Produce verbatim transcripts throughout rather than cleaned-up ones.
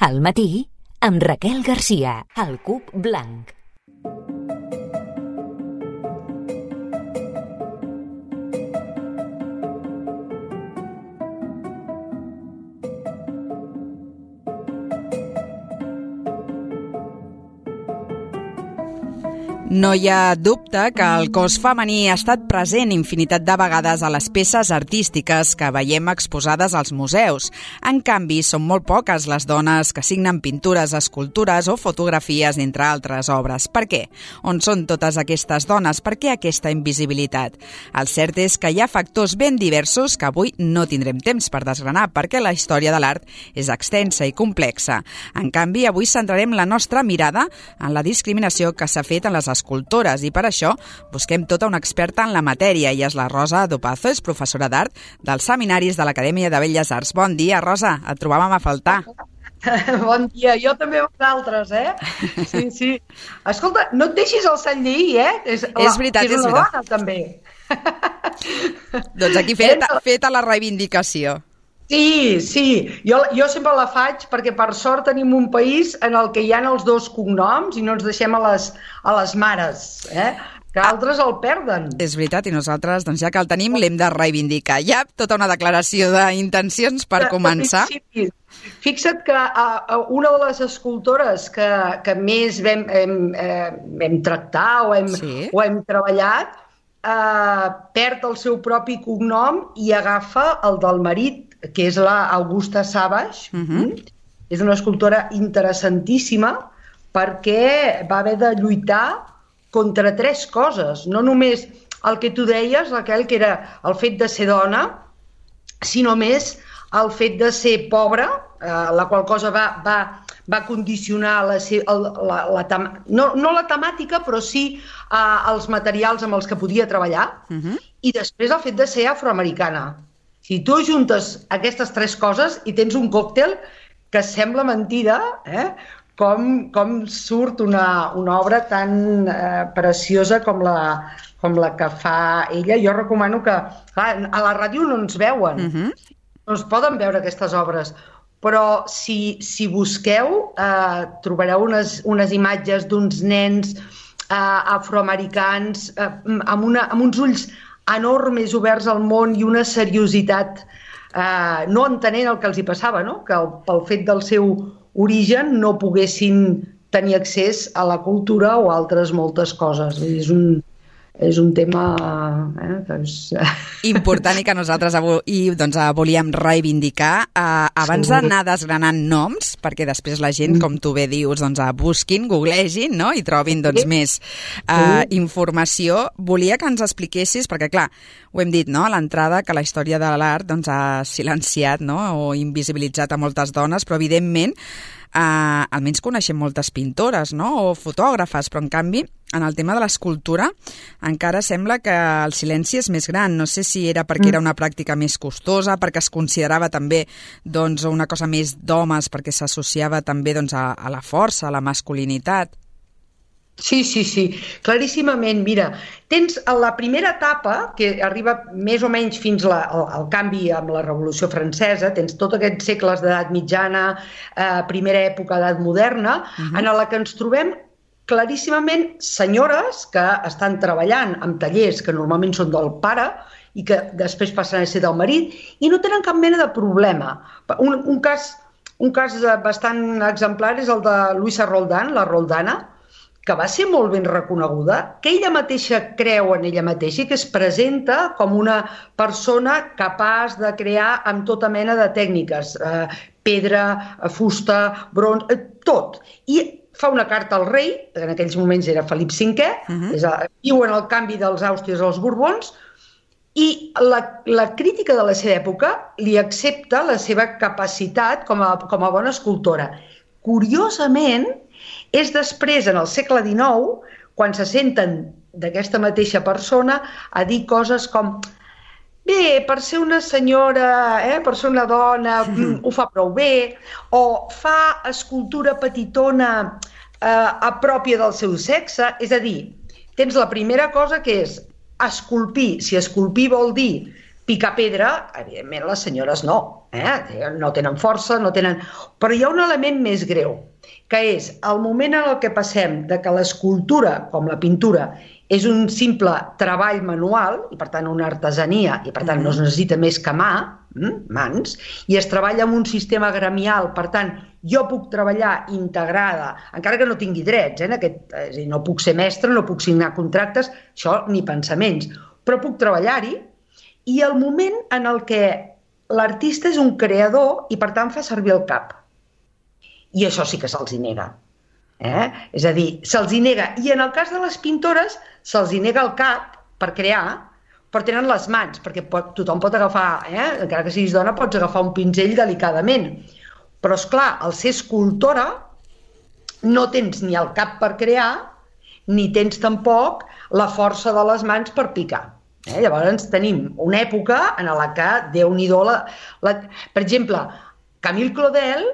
Al matí, amb Raquel Garcia, al Cub Blanc. No hi ha dubte que el cos femení ha estat present infinitat de vegades a les peces artístiques que veiem exposades als museus. En canvi, són molt poques les dones que signen pintures, escultures o fotografies, entre altres obres. Per què? On són totes aquestes dones? Per què aquesta invisibilitat? El cert és que hi ha factors ben diversos que avui no tindrem temps per desgranar, perquè la història de l'art és extensa i complexa. En canvi, avui centrarem la nostra mirada en la discriminació que s'ha fet en les escultores i per això busquem tota una experta en la matèria i és la Rosa Dopazo, és professora d'art dels seminaris de l'Acadèmia de Belles Arts. Bon dia, Rosa, et trobàvem a faltar. Bon dia, jo també vosaltres, eh? Sí, sí. Escolta, no et deixis el sant lleí, eh? És, la, és veritat, és, és una veritat. dona, també. Doncs aquí feta, feta la reivindicació. Sí, sí, jo, jo sempre la faig perquè per sort tenim un país en el que hi ha els dos cognoms i no ens deixem a les, a les mares, eh? Que altres el perden. És veritat, i nosaltres, doncs ja que el tenim, l'hem de reivindicar. Hi ha tota una declaració d'intencions per començar. Sí, fixa't que uh, una de les escultores que, que més vam, hem, eh, hem tractat o hem, sí. o hem treballat uh, perd el seu propi cognom i agafa el del marit, que és la Augusta Savage. Uh-huh. És una escultora interessantíssima perquè va haver de lluitar contra tres coses. No només el que tu deies, Raquel, que era el fet de ser dona, sinó més el fet de ser pobra, eh, la qual cosa va, va, va condicionar la, la, la, la, no, no la temàtica, però sí eh, els materials amb els que podia treballar, uh-huh. i després el fet de ser afroamericana. Si tu juntes aquestes tres coses i tens un còctel que sembla mentida, eh? com, com surt una, una obra tan eh, preciosa com la, com la que fa ella. Jo recomano que... Clar, a la ràdio no ens veuen, uh-huh. no es poden veure aquestes obres, però si, si busqueu eh, trobareu unes, unes imatges d'uns nens eh, afroamericans eh, amb, una, amb uns ulls enormes, oberts al món i una seriositat, eh, no entenent el que els hi passava, no? Que el, pel fet del seu origen no poguessin tenir accés a la cultura o altres moltes coses. És un, és un tema eh, que és... important i que nosaltres avui doncs, volíem reivindicar. Uh, abans sí. d'anar desgranant noms, perquè després la gent, com tu bé dius, doncs, busquin, googlegin, no? I trobin doncs, sí. més uh, sí. informació, volia que ens expliquessis, perquè clar, ho hem dit, no? A l'entrada, que la història de l'art doncs, ha silenciat, no? O invisibilitzat a moltes dones, però evidentment Uh, almenys coneixem moltes pintores, no? O fotògrafes, però en canvi en el tema de l'escultura encara sembla que el silenci és més gran. No sé si era perquè era una pràctica més costosa, perquè es considerava també doncs, una cosa més d'homes, perquè s'associava també doncs, a, a la força, a la masculinitat. Sí, sí, sí, claríssimament. Mira, tens la primera etapa, que arriba més o menys fins la, al, al canvi amb la Revolució Francesa, tens tots aquests segles d'edat mitjana, eh, primera època d'edat moderna, uh-huh. en la que ens trobem claríssimament senyores que estan treballant en tallers que normalment són del pare i que després passen a ser del marit i no tenen cap mena de problema. Un, un, cas, un cas bastant exemplar és el de Luisa Roldan, la Roldana, que va ser molt ben reconeguda, que ella mateixa creu en ella mateixa i que es presenta com una persona capaç de crear amb tota mena de tècniques, eh, pedra, fusta, bronze, eh, tot. I fa una carta al rei, en aquells moments era Felip cinquè, uh-huh. és a, viu en el canvi dels Àustries als Borbons, i la, la crítica de la seva època li accepta la seva capacitat com a, com a bona escultora. Curiosament, és després, en el segle dinou, quan se senten d'aquesta mateixa persona a dir coses com bé, per ser una senyora, eh, per ser una dona, mm, ho fa prou bé, o fa escultura petitona eh, a pròpia del seu sexe. És a dir, tens la primera cosa que és esculpir. Si esculpir vol dir picar pedra, evidentment les senyores no, eh? No tenen força, no tenen... Però hi ha un element més greu, que és el moment en el que passem de que l'escultura, com la pintura, és un simple treball manual, i per tant una artesania, i per tant no es necessita més que mà, mans, i es treballa amb un sistema gremial, per tant, jo puc treballar integrada, encara que no tingui drets, eh, en aquest, és a dir, no puc ser mestre, no puc signar contractes, això ni pensaments, però puc treballar-hi, i el moment en el que l'artista és un creador i per tant fa servir el cap. I això sí que se'ls hi nega. Eh? És a dir, se'ls hi nega. I en el cas de les pintores se'ls hi nega el cap per crear, però tenen les mans, perquè pot, tothom pot agafar, eh? Encara que siguis dona, pots agafar un pinzell delicadament. Però, esclar, al ser escultora no tens ni el cap per crear, ni tens tampoc la força de les mans per picar. Eh? Llavors tenim una època en la que, Déu-n'hi-do, la, la... per exemple, Camille Claudel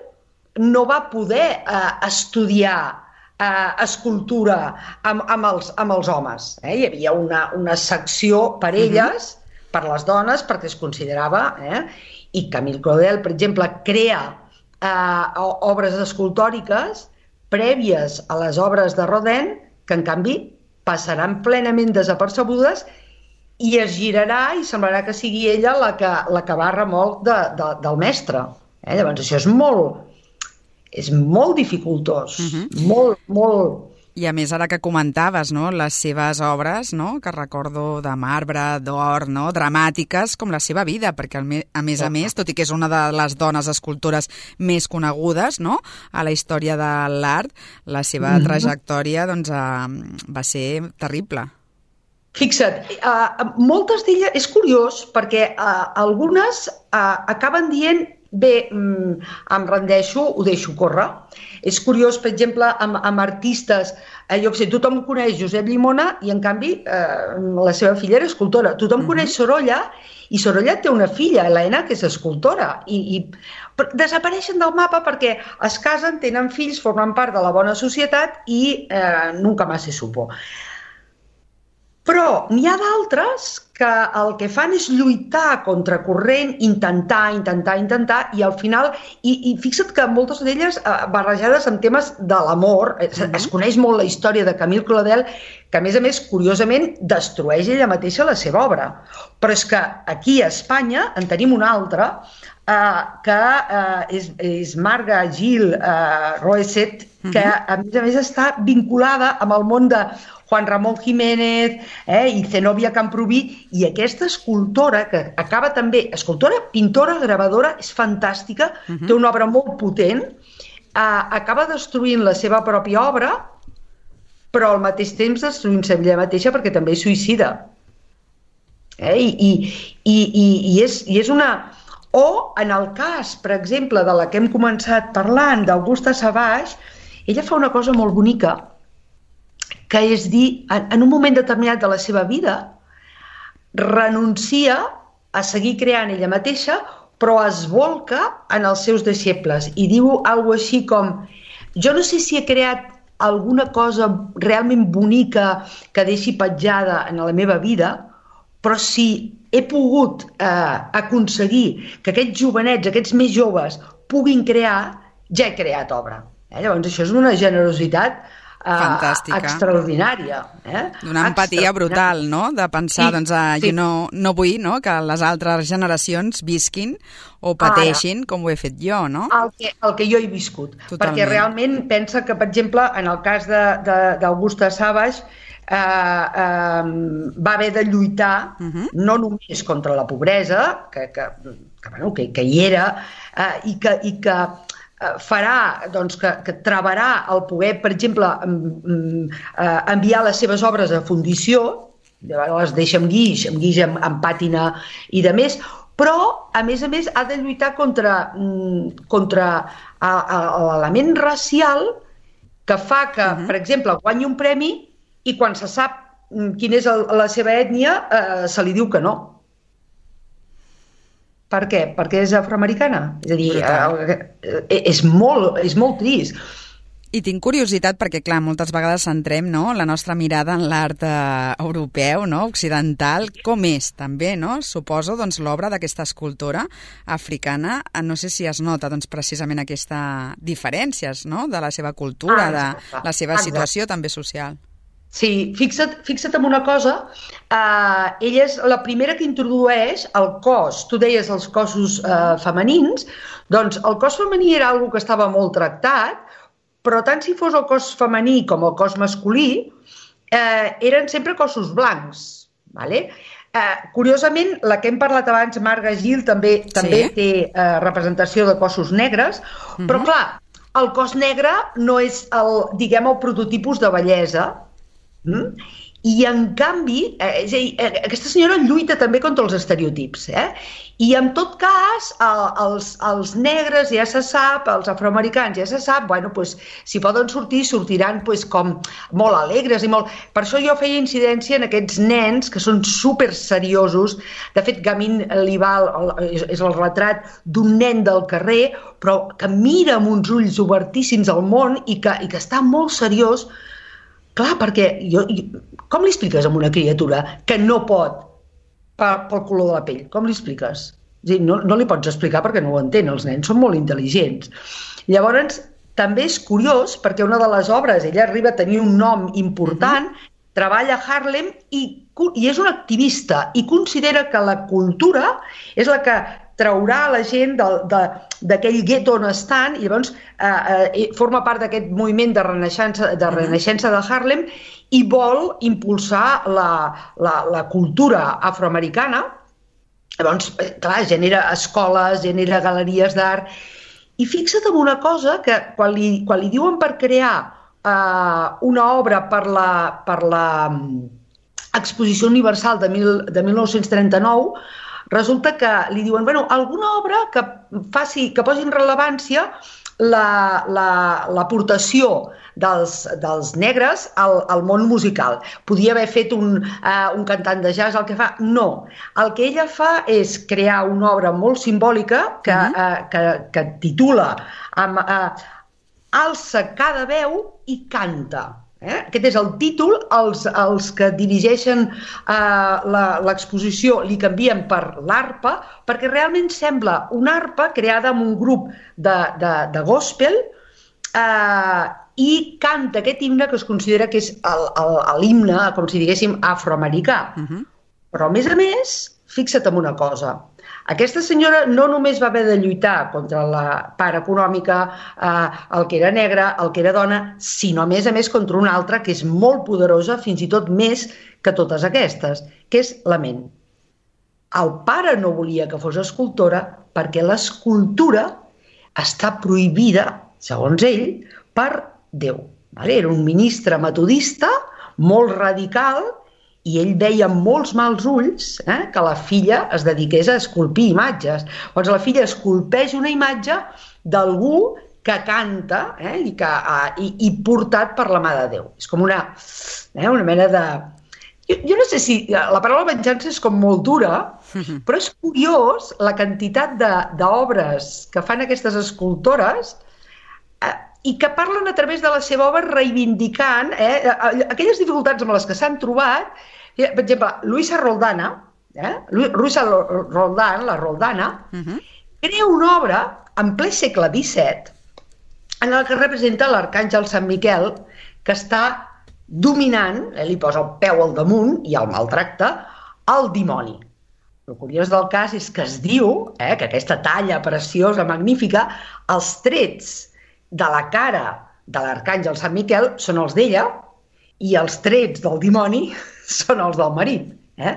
no va poder eh, estudiar eh, escultura amb, amb, els, amb els homes. Eh? Hi havia una, una secció per elles, uh-huh. per les dones, perquè es considerava, eh? I Camille Claudel, per exemple, crea eh, obres escultòriques prèvies a les obres de Rodin, que en canvi passaran plenament desapercebudes i es girarà i semblarà que sigui ella la que, la que va a remolc de, de, del mestre. Eh? Llavors això és molt, és molt dificultós, uh-huh. molt, molt... I a més, ara que comentaves, no?, les seves obres, no?, que recordo de marbre, d'or, no?, dramàtiques, com la seva vida, perquè a més a més, tot i que és una de les dones escultores més conegudes, no?, a la història de l'art, la seva uh-huh. trajectòria, doncs, eh, va ser terrible. Fixa't, uh, moltes d'elles, és curiós, perquè uh, algunes uh, acaben dient, bé, um, em rendeixo, ho deixo córrer. És curiós, per exemple, amb, amb artistes, eh, jo què sé, tothom coneix Josep Llimona i, en canvi, eh, la seva filla era escultora. Tothom uh-huh. coneix Sorolla i Sorolla té una filla, Helena, que és escultora. I, i desapareixen del mapa perquè es casen, tenen fills, formen part de la bona societat i eh, nunca más se supo. Però n'hi ha d'altres que el que fan és lluitar contra corrent, intentar, intentar, intentar, i al final, i, i fixa't que moltes d'elles eh, barrejades amb temes de l'amor, es, es coneix molt la història de Camille Claudel, que a més a més, curiosament, destrueix ella mateixa la seva obra. Però és que aquí a Espanya en tenim una altra, eh, que eh, és, és Marga Gil eh, Roeset, que a més a més està vinculada amb el món de Juan Ramón Jiménez eh, i Zenobia Camprubí, i aquesta escultora, que acaba també, escultora, pintora, gravadora, és fantàstica, uh-huh. té una obra molt potent, eh, acaba destruint la seva pròpia obra, però al mateix temps destruint-se ella mateixa perquè també és suïcida. Eh, i, i, i, i, és, I és una... O, en el cas, per exemple, de la que hem començat parlant, d'Augusta Savage, ella fa una cosa molt bonica, que és dir, en un moment determinat de la seva vida, renuncia a seguir creant ella mateixa, però es volca en els seus deixebles i diu alguna cosa així com: jo no sé si he creat alguna cosa realment bonica que deixi petjada en la meva vida, però si he pogut eh, aconseguir que aquests jovenets, aquests més joves, puguin crear, ja he creat obra. Eh? Llavors això és una generositat fantàstica, uh, extraordinària. Eh? D'una empatia brutal, no?, de pensar, sí, doncs, uh, sí. jo no, no vull, no?, que les altres generacions visquin o pateixin Ara, com ho he fet jo, no? El que, el que jo he viscut. Totalment. Perquè realment pensa que, per exemple, en el cas d'Augusta Savage, eh, eh, va haver de lluitar uh-huh. no només contra la pobresa, que, que, que, bueno, que, que hi era, eh, i que... I que farà, doncs, que, que treballarà el poder, per exemple, enviar les seves obres a fundició, les deixa amb guix, amb guix amb, amb pàtina i de més, però, a més a més, ha de lluitar contra, contra l'element racial que fa que, uh-huh. per exemple, guanyi un premi i quan se sap quina és el, la seva ètnia, eh, se li diu que no. Per què? Perquè és afroamericana. És a dir, eh, és, molt, és molt trist. I tinc curiositat perquè, clar, moltes vegades centrem, no?, la nostra mirada en l'art eh, europeu, no?, occidental. Com és, també, no?, suposo, doncs, l'obra d'aquesta escultora africana. No sé si es nota, doncs, precisament aquesta diferències, no?, de la seva cultura, ah, de la seva situació també social. Sí, fixa't, fixa't en una cosa, eh, ella és la primera que introdueix el cos. Tu deies els cossos eh, femenins, doncs el cos femení era algo que estava molt tractat, però tant si fos el cos femení com el cos masculí, eh, eren sempre cossos blancs. Vale? Eh, curiosament, la que hem parlat abans, Marga Gil, també, també sí. té eh, representació de cossos negres, uh-huh. però clar, el cos negre no és el, diguem, el prototipus de bellesa, mm? I en canvi, eh, és a dir, eh, aquesta senyora lluita també contra els estereotips, eh? I en tot cas, eh, els, els negres ja se sap, els afroamericans ja se sap, bueno, pues, si poden sortir, sortiran pues, com molt alegres i molt... Per això jo feia incidència en aquests nens que són super seriosos. De fet, Gamin Lival és, és el retrat d'un nen del carrer, però que mira amb uns ulls obertíssims al món i que, i que està molt seriós. Clar, perquè jo, com li expliques a una criatura que no pot pel, pel color de la pell? Com li expliques? dir, no, no li pots explicar perquè no ho entén, els nens són molt intel·ligents. Llavors, també és curiós perquè una de les obres, ella arriba a tenir un nom important, mm-hmm. treballa a Harlem i, i és una activista i considera que la cultura és la que traurà la gent d'aquell gueto on estan i llavors eh, eh, forma part d'aquest moviment de renaixença de, renaixença de Harlem i vol impulsar la, la, la cultura afroamericana. Llavors, clar, genera escoles, genera galeries d'art i fixa't en una cosa que quan li, quan li diuen per crear eh, una obra per la, per la Exposició Universal de, mil, de mil nou-cents trenta-nou, resulta que li diuen, bueno, alguna obra que faci, que posi en rellevància l'aportació la, la, dels, dels negres al, al món musical. Podia haver fet un, uh, un cantant de jazz, el que fa... No. El que ella fa és crear una obra molt simbòlica que, uh-huh. uh, que, que titula amb, uh, Alça cada veu i canta. Eh? Aquest és el títol, els, els que dirigeixen eh, l'exposició li canvien per l'arpa, perquè realment sembla una arpa creada amb un grup de, de, de gospel eh, i canta aquest himne que es considera que és l'himne, com si diguéssim, afroamericà. Uh-huh. Però a més a més, fixa't en una cosa, aquesta senyora no només va haver de lluitar contra la part econòmica, eh, el que era negre, el que era dona, sinó a més a més contra una altra que és molt poderosa, fins i tot més que totes aquestes, que és la ment. El pare no volia que fos escultora perquè l'escultura està prohibida, segons ell, per Déu. Era un ministre metodista, molt radical, i ell veia amb molts mals ulls eh, que la filla es dediqués a esculpir imatges. Llavors la filla esculpeix una imatge d'algú que canta eh, i, que, uh, i, i portat per la mà de Déu. És com una, eh, una mena de... Jo, jo no sé si la paraula venjança és com molt dura, però és curiós la quantitat d'obres que fan aquestes escultores eh, i que parlen a través de la seva obra reivindicant eh, aquelles dificultats amb les que s'han trobat. Per exemple, Luisa Roldana, eh, Luisa Roldan, la Roldana, uh-huh. crea una obra en ple segle disset en la que representa l'arcàngel Sant Miquel que està dominant, eh, li posa el peu al damunt i el maltracta, el dimoni. El curiós del cas és que es diu eh, que aquesta talla preciosa, magnífica, els trets de la cara de l'arcàngel Sant Miquel són els d'ella i els trets del dimoni són els del marit, eh?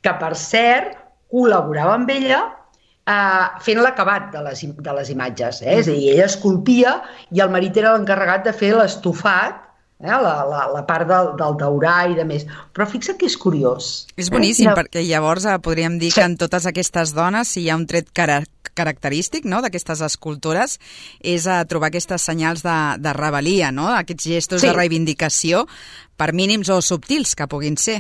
que per cert col·laborava amb ella eh, fent l'acabat de, les, de les imatges. Eh? És a dir, ella esculpia i el marit era l'encarregat de fer l'estofat, eh? la, la, la part del, del daurar i de més. Però fixa't que és curiós. És boníssim, eh? perquè llavors eh, podríem dir sí. que en totes aquestes dones, si hi ha un tret característic, característic no, d'aquestes escultores és a trobar aquestes senyals de, de rebel·lia, no? Aquests gestos sí. de reivindicació, per mínims o subtils que puguin ser.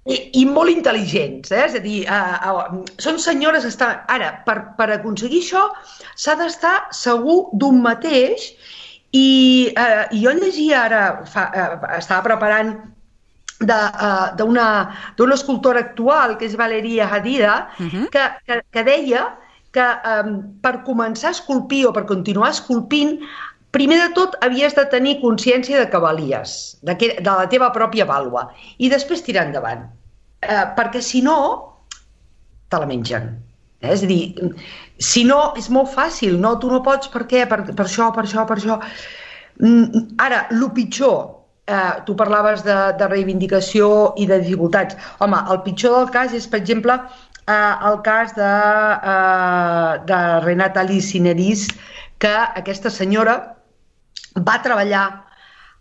I, i molt intel·ligents, eh? És a dir, uh, uh, són senyores que estan... Ara, per, per aconseguir això s'ha d'estar segur d'un mateix I eh, jo llegia ara, fa, eh, estava preparant d'una uh, escultora actual, que és Valeria Hadida, uh-huh. que, que, que deia que um, per començar a esculpir o per continuar esculpint, primer de tot havies de tenir consciència de que valies, de, que, de la teva pròpia vàlua, i després tirar endavant. Eh, perquè si no, te la mengen. Eh? És a dir, si no, és molt fàcil. No, tu no pots, per què? Per, per això, per això, per això. Mm, ara, el pitjor, eh, tu parlaves de, de reivindicació i de dificultats. Home, el pitjor del cas és, per exemple, eh, el cas de, eh, de Renata Lissineris, que aquesta senyora va treballar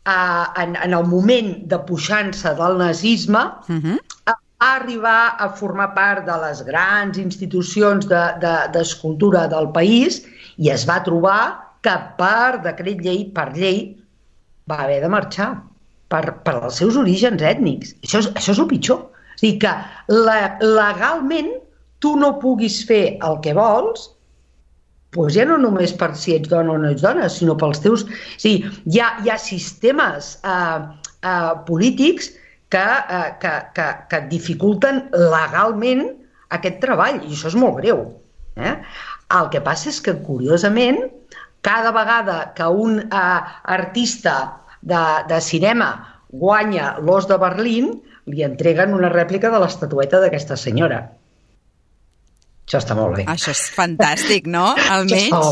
eh, en, en el moment de puixança del nazisme, uh-huh. va arribar a formar part de les grans institucions d'escultura de, de, del país i es va trobar que per decret llei, per llei, va haver de marxar per, per els seus orígens ètnics. Això és, això és el pitjor. És a dir, que la, legalment tu no puguis fer el que vols, doncs ja no només per si ets dona o no ets dona, sinó pels teus... És a dir, hi ha, hi ha sistemes eh, eh, polítics que, eh, que, que, que dificulten legalment aquest treball, i això és molt greu. Eh? El que passa és que, curiosament, cada vegada que un eh, artista de, de cinema guanya l'Os de Berlín, li entreguen una rèplica de l'estatueta d'aquesta senyora. Això està molt bé. Això és fantàstic, no? Almenys.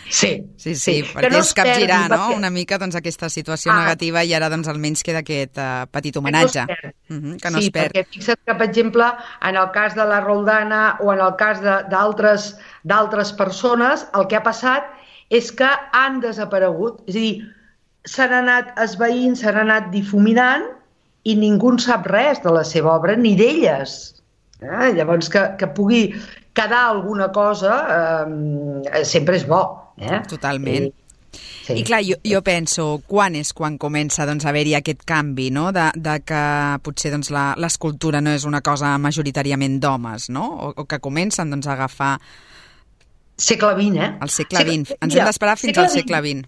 Sí, sí, sí, sí, perquè no és capgirar, no? Perquè... una mica doncs, aquesta situació ah. negativa i ara doncs, almenys queda aquest uh, petit homenatge. Que no es perd. Uh-huh, que no sí, es perd. Perquè fixa't que, per exemple, en el cas de la Roldana o en el cas d'altres persones, el que ha passat és que han desaparegut. És a dir, s'han anat esvaint, s'han anat difuminant i ningú en sap res de la seva obra, ni d'elles. Eh? Llavors, que, que pugui quedar alguna cosa eh, sempre és bo. Eh? Totalment. I, sí. I clar, jo, jo penso, quan és quan comença doncs, a haver-hi aquest canvi, no? de, de que potser doncs, l'escultura no és una cosa majoritàriament d'homes, no? O, o que comencen doncs, a agafar... Segle vint, eh? El segle vint. Segle... Ens hem d'esperar fins al segle vint.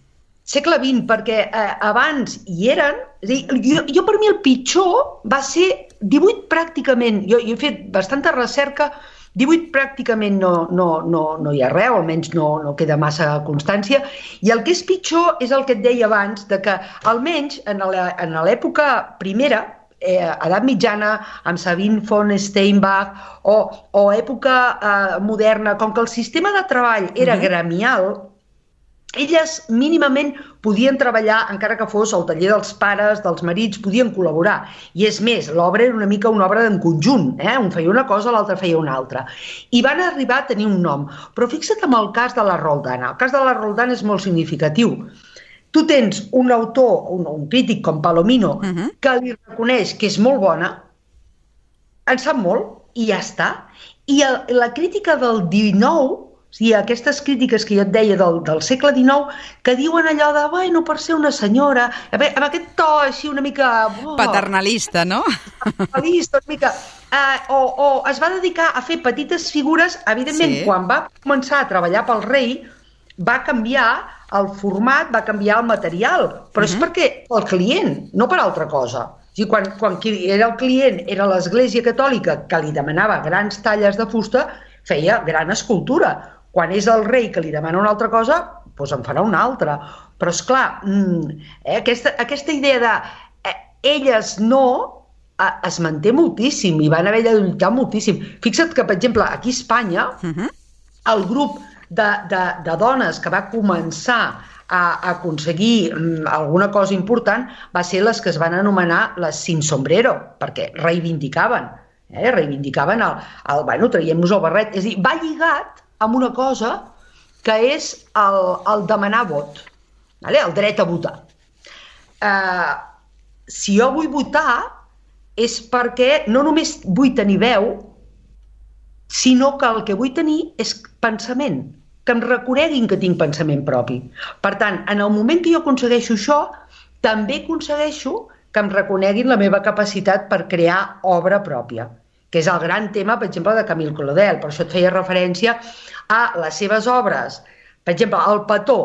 Segle vint, perquè eh, abans hi eren... És a dir, jo, jo per mi el pitjor va ser divuit pràcticament. Jo, jo he fet bastanta recerca, divuit pràcticament no, no, no, no hi ha res, o almenys no, no queda massa constància, i el que és pitjor és el que et deia abans, de que almenys en l'època primera, eh, edat mitjana, amb Sabine von Steinbach, o, o època eh, moderna, com que el sistema de treball era uh-huh. gremial, elles mínimament podien treballar, encara que fos al taller dels pares, dels marits, podien col·laborar. I és més, l'obra era una mica una obra en conjunt, eh? Un feia una cosa, l'altre feia una altra. I van arribar a tenir un nom. Però fixa't en el cas de la Roldana. El cas de la Roldana és molt significatiu. Tu tens un autor, un, un crític com Palomino, uh-huh. que li reconeix que és molt bona, en sap molt, i ja està. I el, la crítica del dinou, o sigui, aquestes crítiques que jo et deia del, del segle dinou, que diuen allò de, bueno, per ser una senyora, amb aquest to així una mica... Oh, paternalista, no? Paternalista, una mica... Eh, o, o es va dedicar a fer petites figures, evidentment, sí. Quan va començar a treballar pel rei, va canviar el format, va canviar el material, però uh-huh. és perquè el client, no per altra cosa. O sigui, quan, quan era el client, era l'Església Catòlica, que li demanava grans talles de fusta, feia gran escultura. Quan és el rei que li demana una altra cosa, doncs en farà una altra. Però, esclar, eh, aquesta, aquesta idea de eh, elles no eh, es manté moltíssim i van haver de lluitar moltíssim. Fixa't que, per exemple, aquí a Espanya, uh-huh. el grup de, de, de dones que va començar a, a aconseguir um, alguna cosa important va ser les que es van anomenar les sin sombrero, perquè reivindicaven, eh, reivindicaven el, el bueno, traiem-nos el barret. És a dir, va lligat amb una cosa que és el, el demanar vot, vale? El dret a votar. Eh, si jo vull votar és perquè no només vull tenir veu, sinó que el que vull tenir és pensament, que em reconeguin que tinc pensament propi. Per tant, en el moment que jo aconsegueixo això, també aconsegueixo que em reconeguin la meva capacitat per crear obra pròpia, que és el gran tema, per exemple, de Camille Claudel. Per això et feia referència a les seves obres. Per exemple, el petó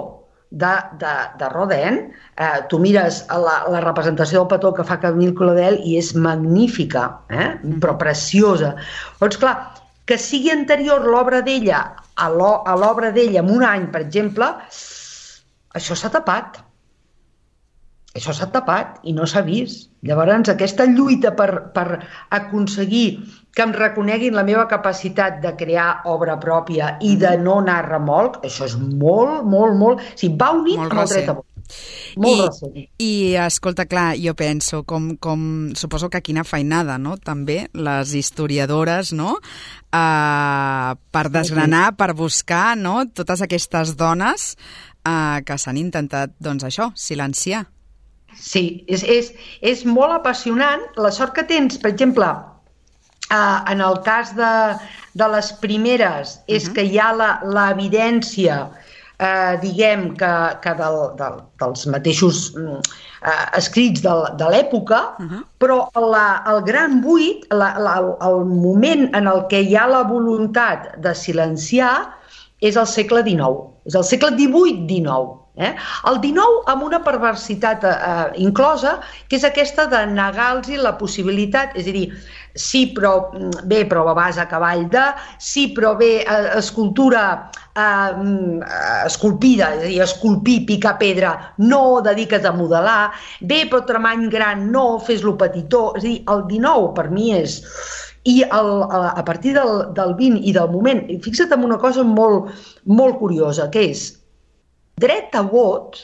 de, de, de Rodin. Eh, tu mires la, la representació del petó que fa Camille Claudel i és magnífica, eh? Però preciosa. Doncs clar, que sigui anterior l'obra d'ella a l'obra d'ella en un any, per exemple, això s'ha tapat. Això s'ha tapat i no s'ha vist. Llavors, aquesta lluita per, per aconseguir que em reconeguin la meva capacitat de crear obra pròpia i de no anar a remolc, això és molt, molt, molt... O sigui, va unit amb el dret a vot. Molt recent. I, I, escolta, clar, jo penso, com, com suposo que quina feinada, no?, també, les historiadores, no?, uh, per desgranar, per buscar, no?, totes aquestes dones uh, que s'han intentat, doncs això, silenciar. Sí, és, és, és molt apassionant. La sort que tens, per exemple, uh, en el cas de, de les primeres, és uh-huh. que hi ha l'evidència, uh, diguem, que, que del, del, dels mateixos uh, escrits de, de l'època, uh-huh. però la, el gran buit, la, la, el moment en el què hi ha la voluntat de silenciar, és el segle dinou. És el segle divuit dinou. Eh? El dinou amb una perversitat eh, inclosa, que és aquesta de negar-los la possibilitat, és a dir, sí, però bé, però vas a cavall de, sí, però bé, eh, escultura eh, esculpida, és a dir, esculpir, picar pedra, no dediques a modelar, bé, però tramany gran, no, fes-lo petitó, és a dir, el dinou per mi és... I el, a partir del, del vint i del moment, fixa't en una cosa molt, molt curiosa, que és dret a vot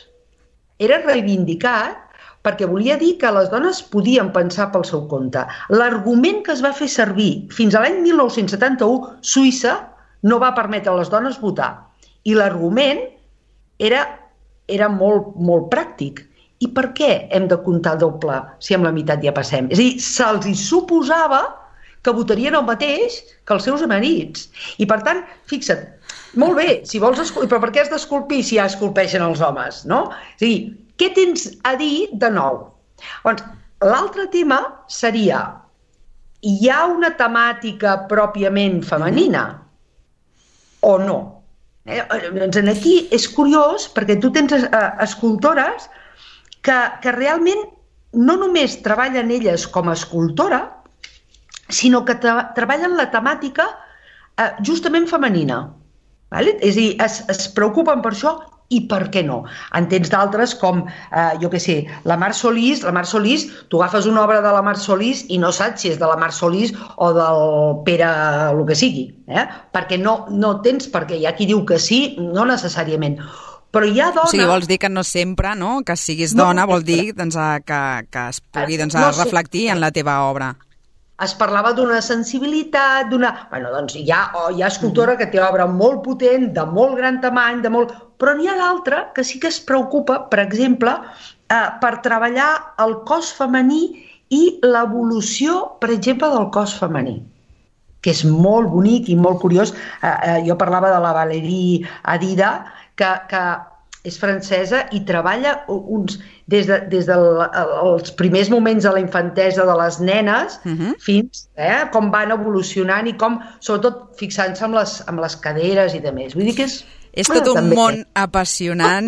era reivindicat perquè volia dir que les dones podien pensar pel seu compte. L'argument que es va fer servir fins a l'any mil nou-cents setanta-u, Suïssa no va permetre a les dones votar. I l'argument era, era molt, molt pràctic. I per què hem de comptar doble si amb la meitat ja passem? És a dir, se'ls hi suposava que votarien el mateix que els seus marits. I per tant, fixa't, molt bé, si vols esculpir, però per què has d'esculpir si ja esculpeixen els homes, no? És a dir, què tens a dir de nou? Doncs, l'altre tema seria, hi ha una temàtica pròpiament femenina o no? Eh? Doncs aquí és curiós perquè tu tens eh, escultores que, que realment no només treballen elles com a escultora, sinó que tra treballen la temàtica eh, justament femenina. Vale? És a dir, es, es preocupen per això i per què no. En tens d'altres com, eh, jo què sé, la Mar Solís, la Mar Solís, tu agafes una obra de la Mar Solís i no saps si és de la Mar Solís o del Pere el que sigui, eh? Perquè no, no tens per què. Hi ha qui diu que sí, no necessàriament. Però hi ha dona... O sigui, vols dir que no sempre, no?, que siguis dona, no, vol dir doncs, que, que es pugui doncs, no reflectir en la teva obra. Es parlava d'una sensibilitat, d'una... Bueno, doncs hi ha, hi ha escultora que té obra molt potent, de molt gran tamany, de molt... Però n'hi ha d'altra que sí que es preocupa, per exemple, eh, per treballar el cos femení i l'evolució, per exemple, del cos femení, que és molt bonic i molt curiós. Eh, eh, jo parlava de la Valérie Adida, que, que és francesa i treballa uns... des dels de, des de primers moments de la infantesa de les nenes uh-huh. fins eh, com van evolucionant i com, sobretot, fixant-se amb les, amb les caderes i de més. Vull dir que és... És tot un món apassionant,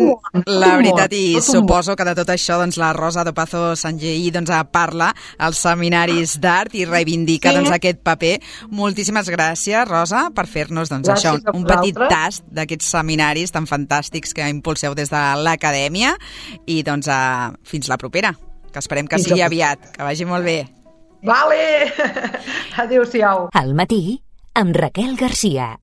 la veritat, i suposo que de tot això doncs, la Rosa Dopazo Sangeí doncs, parla als seminaris d'art i reivindica doncs, aquest paper. Moltíssimes gràcies, Rosa, per fer-nos doncs, això, un petit tast d'aquests seminaris tan fantàstics que impulseu des de l'acadèmia i doncs, a... fins la propera, que esperem que sigui aviat, que vagi molt bé. Vale! Adéu-siau. Al matí, amb Raquel Garcia.